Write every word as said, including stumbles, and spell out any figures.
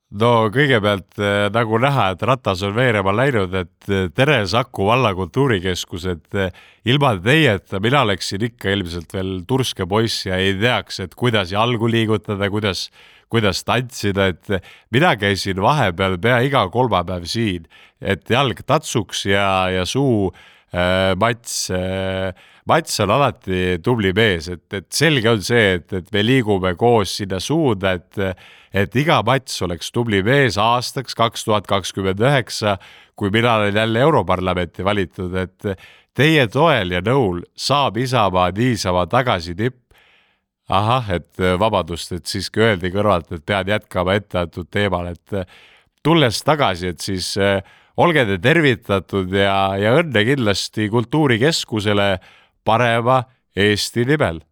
No kõigepealt eh, nagu näha, et ratas on veerema läinud, et eh, tere Saku valla kultuurikeskus, et eh, ilma teieta mina oleksin ikka ilmselt veel turske poiss ja ei teaks, et kuidas jalgu liigutada, kuidas, kuidas tantsida, et eh, mina käisin vahepeal pea iga kolmapäev siin, et jalg tatsuks ja, ja suu äh, mats äh, Mats on alati tubli mees, et, et selge on see, et, et me liigume koos sinna suunda, et, et iga Mats oleks tubli mees aastaks kaks tuhat kakskümmend üheksa, kui mina olen jälle Europarlamenti valitud, et teie toel ja nõul saab Isamaa niisama tagasi tipp. Ahah, et vabandust, et siiski öeldi kõrvalt, et pean jätkama etteantud teemal, et tulles tagasi, et siis olge te tervitatud ja, ja õnne kindlasti kultuurikeskusele parema Eesti nimel.